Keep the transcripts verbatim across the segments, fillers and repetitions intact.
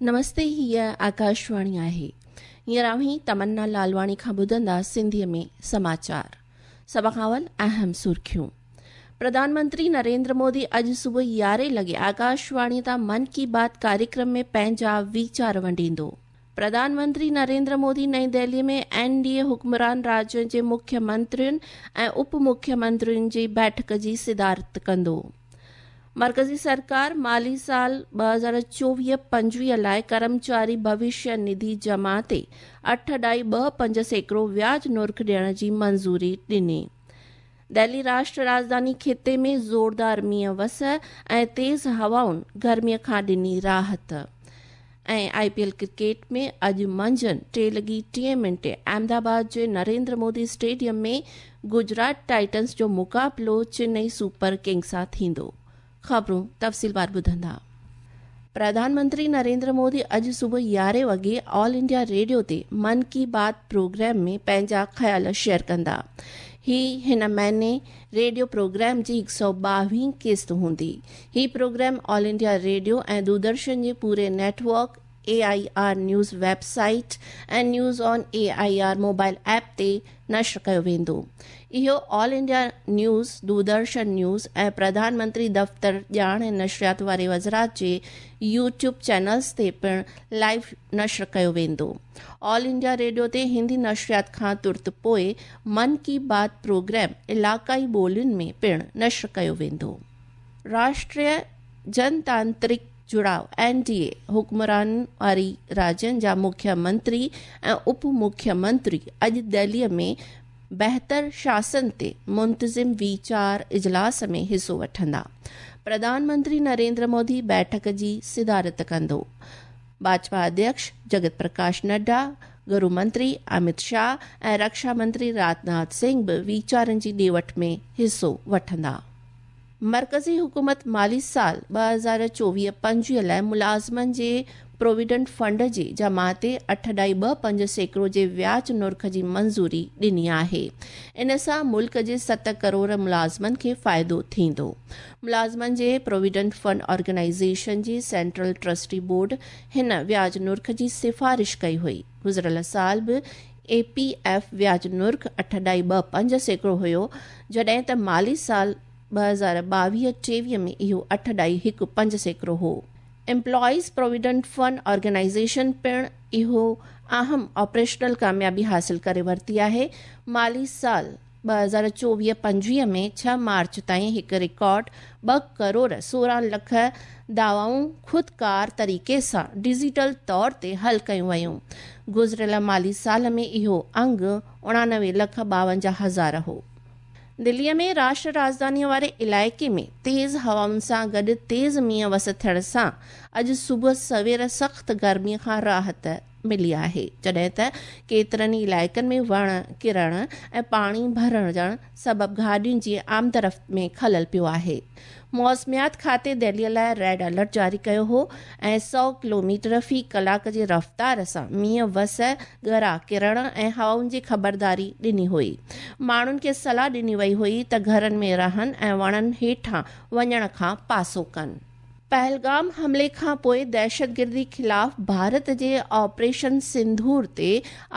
नमस्ते, हीअ आकाशवाणी आहे। हींअर अव्हीं तमन्ना लालवाणी खां ॿुधंदा सिंधीअ में समाचार। सभ खां अवल अहम सुर्खियूं। प्रधानमंत्री नरेंद्र मोदी अॼु सुबुह यारहें लॻे आकाशवाणी तां मन की बात कार्यक्रम में पंहिंजा वीचार वंडींदो। प्रधानमंत्री नरेंद्र मोदी नई दिल्ली में एन डी ए हुक्मरान राज्यनि जे मुख्यमंत्रियुनि ऐं उप मुख्यमंत्रियुनि जी बैठक जी सिदारत कंदो। मर्कज़ी सरकार माली साल ॿ हज़ार चोवीह पंजवीह लाइ कर्मचारी भविष्य निधि जमा ते अठ ॾाई ॿ पंज सैकड़ो व्याज नुर्ख ॾियण जी मंज़ूरी ॾिनी। दिल्ली राष्ट्र राजधानी ख़िते में ज़ोरदार मींहुं वस ऐं तेज़ हवाउनि गर्मीअ खां ॾिनी राहत। ऐं I P L cricket में अॼु मंझंदि टे लॻी टीह मिंटे अहमदाबाद जे नरेंद्र मोदी स्टेडियम में गुजरात टाइटन्स जो मुक़ाबिलो चेन्नई सुपर किंग्स सां थींदो। ख़बरूं तफ़सीलवार ॿुधंदा। प्रधानमंत्री नरेंद्र मोदी अॼु सुबुह यारहें वॻे ऑल इंडिया रेडियो ते मन की बात प्रोग्राम में पंहिंजा ख़्याल शेयर कंदा। ही हिन महीने रेडियो प्रोग्राम जी हिकु सौ ॿावीह क़िस्त हूंदी। ही प्रोग्राम ऑल इंडिया रेडियो ऐं दूरदर्शन जे पूरे network, A I R news website ऐं news on A I R mobile app ते नश्र कयो वेंदो। इहो all India news, Doordarshan news ऐं प्रधानमंत्री दफ़्तर ॼाण ऐं नशरियात वारे वज़ारत जे यूट्यूब चैनल्स ते पिणु लाइव नश्र कयो वेंदो। ऑल इंडिया रेडियो ते हिंदी नशरियात खां तुर्त पोइ मन की बात प्रोग्राम इलाक़ाई ॿोलियुनि में पिणु नश्र कयो वेंदो। राष्ट्रीय जनतांत्रिक जुड़ाव एन डी ए हुक्मरान वारी राज्यनि जा मुख्यमंत्री ऐं उप मुख्यमंत्री अॼु दिल्लीअ में बहितर शासन ते मुंतज़िम वीचार इजलास में हिसो वठंदा। प्रधानमंत्री नरेंद्र मोदी बैठक जी सिदारत कंदो। भाजपा अध्यक्ष जगत प्रकाश नड्डा, गृह मंत्री अमित शाह ऐं रक्षा मंत्री राजनाथ सिंह बि वीचारनि जी ॾे वठ में हिसो वठंदा। मर्कज़ी हुकूमत माली साल ॿ हज़ार चोवीह पंजवीह लाइ मुलाज़िमनि जे प्रोविडेंट फंड जे जमा ते अठ ॾाई ॿ पंज सैकड़ो जे व्याज नुर्ख जी मंज़ूरी ॾिनी आहे। इन सां मुल्क जे सत करोड़ मुलाज़िमनि खे फ़ाइदो थींदो। मुलाज़िमनि जे प्रोविडेंट फंड ऑर्गेनाइज़ेशन जी सेंट्रल ट्रस्टी बोर्ड हिन व्याज नुर्ख जी सिफारिश कई हुई। गुज़िरियल साल बि ए पी एफ व्याज नुर्ख अठ ॾाई ॿ पंज सैकड़ो हुयो, जॾहिं त माली साल ॿ हज़ार ॿावीह टेवीह में इहो अठ ॾाई हिकु पंज सैकड़ो हो। एम्प्लॉइज़ प्रोविडेंट फंड ऑर्गेनाइज़ेशन पिणु इहो अहम ऑपरेशनल कामयाबी हासिल करे वरिती आहे। माली साल ॿ हज़ार चोवीह पंजवीह में छह मार्च ताईं हिकु रिकॉर्ड ॿ करोड़ सोरहं लख दावाऊं ख़ुदकार तरीक़े सां डिजिटल तौर ते हल कयूं वयूं। गुज़िरियल माली साल में इहो अंग उणानवे लख ॿावंजाह हज़ार हो। दिल्लीअ में राष्ट्र राजधानीअ वारे इलाइक़े में तेज़ हवाउनि सां गॾु तेज़ मींहुं वस थियण सां अॼु सुबुह सवेर सख़्तु गर्मीअ खां राहत मिली आहे, जॾहिं त केतिरनि ई इलाइक़नि में वण किरण ऐं पाणी भरिजण सबबु गाॾियुनि जी आमदरफ़्त में ख़लल पियो आहे। मौसमियात खाते दिल्लीअ लाइ रेड अलर्ट जारी कयो हो ऐं सौ किलोमीटर फ़ी कलाक जी रफ़्तार सां मींहुं वस, ॻरा किरण ऐं हवाउनि जी ख़बरदारी ॾिनी हुई। माण्हुनि खे सलाह ॾिनी वई हुई त घरनि में रहनि ऐं वणनि हेठां वञण खां पासो कनि। पहलगाम हमले खां पोइ दहशतगिर्दी ख़िलाफ़ भारत जे ऑपरेशन सिंदूर ते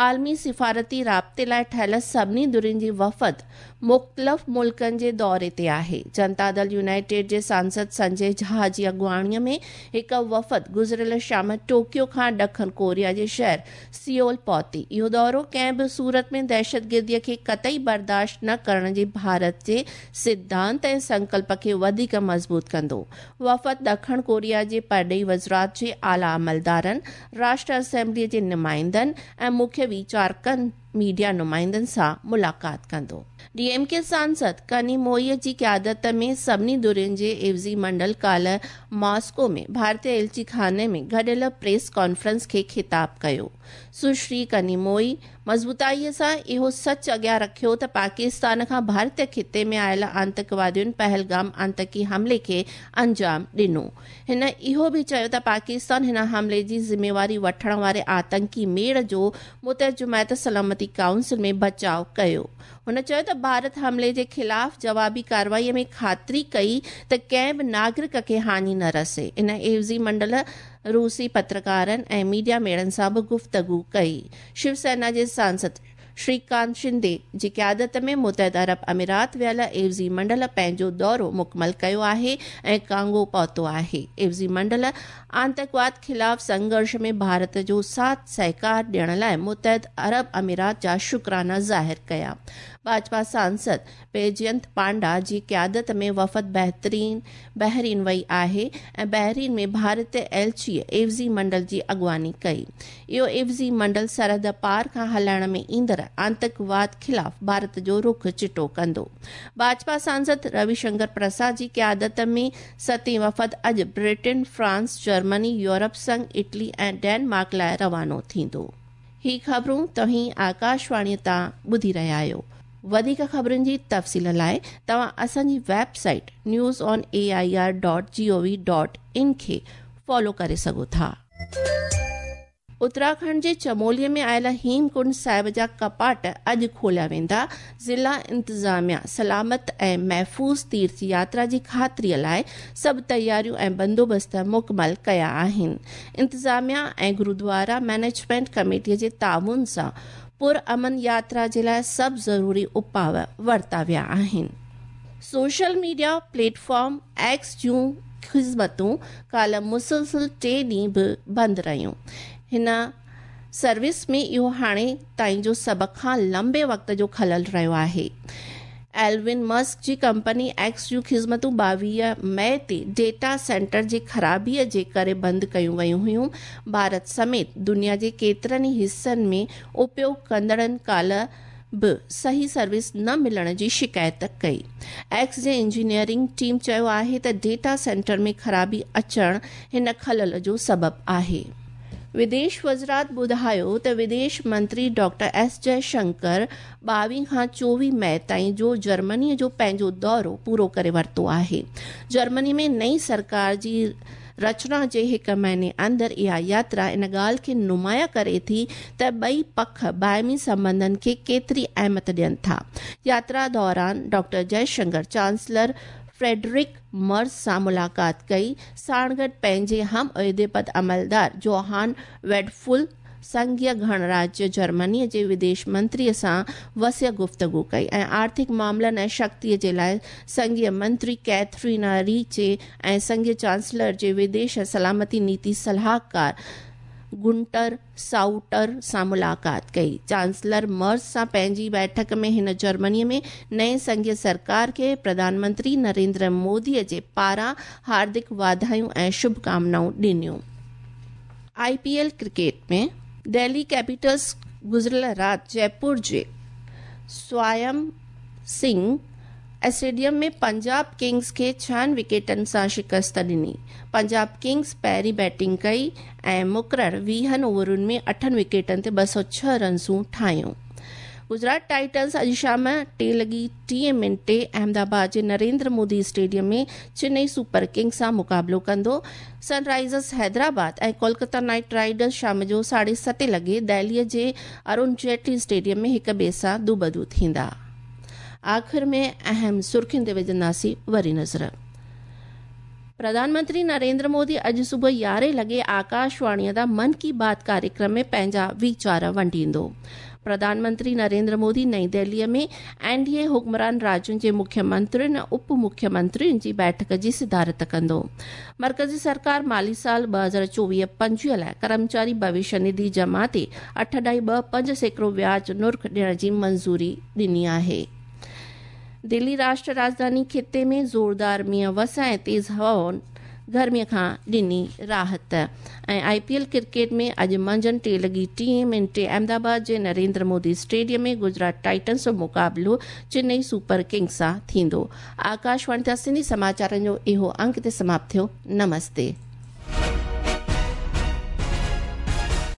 आलमी सिफारती राब्ते लाइ ठहियल सभिनी धुरियुनि जी वफ़द मुख़्तलिफ़ मुल्कनि जे दौरे ते आहे। जनता दल यूनाइटेड जे सांसद संजय झा जी अॻुवाणीअ में हिकु वफ़द गुज़िरियल शाम टोक्यो खां ॾखण कोरिया जे शहर सियोल पहुती। इहो दौरो कंहिं बि सूरत में दहशतगिर्दीअ खे कतई बर्दाश्त न करण जे भारत जे सिद्धांत ऐं संकल्प खे वधीक मज़बूत कंदो। वफ़द ॾखण कोरिया जे परॾेही वज़ारत जे आला अमलदारनि, राष्ट्र असेंबलीअ जे नुमाइंदनि ऐं मुख्य वीचारकनि मीडिया नुमाइंदनि सां मुलाक़ात कंदो। डी एम के सांसद कनिमोई जी क़यादत में सभिनी धुरियुनि जे एवज़ी मंडल काल्ह मॉस्को में भारतीय एलची खाने में गॾियल प्रेस कॉन्फ्रेंस खे ख़िताब कयो। सुश्री कनिमोई मज़बूताईअ सां इहो सच अॻियां रखियो त पाकिस्तान खां भारतीय ख़िते में आयल आंतकवादियुनि पहलगाम आंतकी हमले खे अंजाम ॾिनो। हिन इहो बि चयो त पाकिस्तान हिन हमले जी ज़िम्मेवारी वठण वारे आतंकी मेड़ जो मुतहद जमायत सलामती سلامتي ڪائونسل ۾ بچاءُ ڪيو. هن چيو ته ڀارت حملي جي خلاف جوابي ڪارروائي ۾ خاطري ڪئي ته ڪنهن به ناگرڪ کي هاڃي نه رسي. ان عيوضي منڊل روسي پترڪارن ۽ ميڊيا ميڙن سان به گفتگو ڪئي. شو سينا جي سانسد شريڪانت شندي جي قيادت ۾ متحده عرب امارات ويل عيوضي منڊل پنهنجو دورو مڪمل ڪيو آهي ۽ ڪانگو پهتو آهي. عيوضي منڊل آتنڪواد خلاف سنگهرش ۾ ڀارت جو ساٿ سهڪار ڏيڻ لاءِ متحده عرب امارات جا شڪرانا ظاهر ڪيا. ڀاجپا سانسد بيجينت پانڊا جي قيادت ۾ وفد بهترين بحرين وئي آهي ۽ بحرين ۾ ڀارتي ايلچيءَ عيوضي منڊل جي اڳواڻي ڪئي. اهو عيوضي منڊل سرحد پار کان هلائڻ ۾ ايندڙ آتنڪواد خلاف ڀارت جو رخ چٽو ڪندو. ڀاجپا سانسد روي شنڪر پرساد جي قيادت ۾ ستين وفد اڄ Burton, France, Germany, Europe Singh, Italy ۽ Denmark لاءِ روانو ٿيندو. هي خبرون توهين آڪاشواڻيءَ تان ٻڌي رهيا آهيو. وڌيڪ خبرن جي تفصيل لاءِ توهان اسان جي website news on A I R dot G O V dot in کي فالو ڪري سگهو ٿا. اتراکنڊ جي چموليءَ ۾ آيل هيمڪنڊ صاحب جا ڪپاٽ اڄ کوليا ويندا. ضلع انتظاميا سلامت ۽ محفوظ تيرٿ ياترا جي خاطريءَ لاءِ سڀ تياريون ۽ بندوبست مڪمل ڪيا آهن. انتظاميا ۽ گردوارا مئنيجمينٽ ڪميٽيءَ جي تعاون سان پرامن ياترا جي لاءِ سڀ ضروري اپاءُ ورتا ويا آهن. Social media plate form X جون خدمتون ڪالهه مسلسل ٽي ڏينهن به بند رهيون. هن سروس ۾ اهو هاڻي تائين جو سڀ کان لمبي وقت جو خلل رهيو آهي. ايلون مسڪ جي ڪمپني ايڪس جون خدمتون ٻاويهه مئي تي ڊيٽا سينٽر جي خرابيءَ جي ڪري بند ڪيون ويون هيون. ڀارت سميت دنيا جي ڪيترن ئي حصن ۾ اپيوگ ڪندڙن ڪالهه به صحيح سروس نه ملڻ جي شڪايت ڪئي. ايڪس جي انجنيئرنگ ٽيم چيو آهي ته ڊيٽا سينٽر ۾ خرابي اچڻ هن خلل جو سبب آهي. وديش وزارت ٻڌايو ته وديش منتري ڊاڪٽر ايس جئشنڪر ٻاويهه کان چوويهه مئي تائين جو جرمنيءَ جو پنهنجو دورو پورو ڪري ورتو آهي. جرمني ۾ نئين سرڪار جي رچنا جي هڪ مهيني اندر اها ياترا ان ڳالهه کي نمايان ڪري ٿي ته ٻئي پک باهمي سنٻنڌن کي ڪيتري اهميت ڏين ٿا. ياترا دوران ڊاڪٽر جئشنڪر چانسلر فريڊرڪ مرز سان ملاقات ڪئي. ساڻ گڏ پنهنجي هم عهدي پد عملدار جوهان ويڊفل سنگهيه گڻراجيه جرمنيءَ جي وديش منتريءَ سان وسيع گفتگو ڪئي ۽ آرٿڪ معاملن ۽ شڪتيءَ جي لاءِ سنگهيه منتري ڪيٿرينا ريچي ۽ سنگهيه چانسلر جي وديش ۽ سلامتي نيتي صلاحڪار گنٽر سائوٽر سان ملاقات ڪئي. چانسلر مرز سان پنهنجي بيٺڪ ۾ هن جرمنيءَ ۾ نئين سنگهيه سرڪار کي پرڌان منتري نريندر موديءَ جي پاران هاردڪ واڌايون ۽ شڀڪامنائون ڏنيون. I P L cricket ۾ Delhi Capitals گذريل رات جئپور جي سوائم سنگهه اسٽيڊيم ۾ پنجاب ڪنگز کي ڇهن وڪيٽن سان شڪست ڏني. پنجاب ڪنگز پهرين بيٽنگ ڪئي ۽ مقرر ويهن اوورن ۾ اٺن وڪيٽن تي ٻه سؤ ڇهه رنسون ٺاهيون. گجرات ٽائٽنز اڄ شام ٽي لڳي ٽيهه منٽي احمدآباد جي Narendra Modi stadium ۾ Chennai super kings سان مقابلو ڪندو. سن رائيزرز حيدرآباد ۽ ڪولڪتا نائيٽ رائيڊرز شام جو ساڍي ستين لڳي دهليءَ جي ارون جيٽلي اسٽيڊيم ۾ هڪ ٻئي سان دوبدو ٿيندا. آخر ۾ اهم سرخين تي وجهنداسين وري نظر. پرڌان منتري نريندر مودي اڄ صبح يارهين لڳي آڪاشواڻيءَ تان من ڪي بات ڪاريڪرم ۾ پنهنجا ويچار ونڊيندو. پرڌان منتري نريندر مودي نئين دهليءَ ۾ اين ڊي اي حڪمران راجين جي مکيه منترين ۽ اپ مکيه منترين جي بيٺڪ جي صدارت ڪندو. مرڪزي سرڪار مالي سال ٻه هزار چوويهه پنجويهه لاءِ ڪرمچاري ڀوشيه نڌي جمع تي اٺ اڍائي ٻه پنج سيڪڙو وياج نرخ ڏيڻ جي منظوري ڏني آهي. دلي راشٽر راڄڌاني خطي ۾ زوردار مينهن وس ۽ تيز هوائن گرميءَ کان ڏني راحت. ۽ I P L cricket ۾ اڄ منجهند ٽي لڳي ٽيهه منٽي احمدآباد جي نريندر مودي اسٽيڊيم ۾ گجرات ٽائٽنز جو مقابلو چنئي سپر ڪنگز سان ٿيندو. آڪاشواڻي تان سنڌي سماچارن جو اهو انڪ تي سماپت ٿيو. نمستي.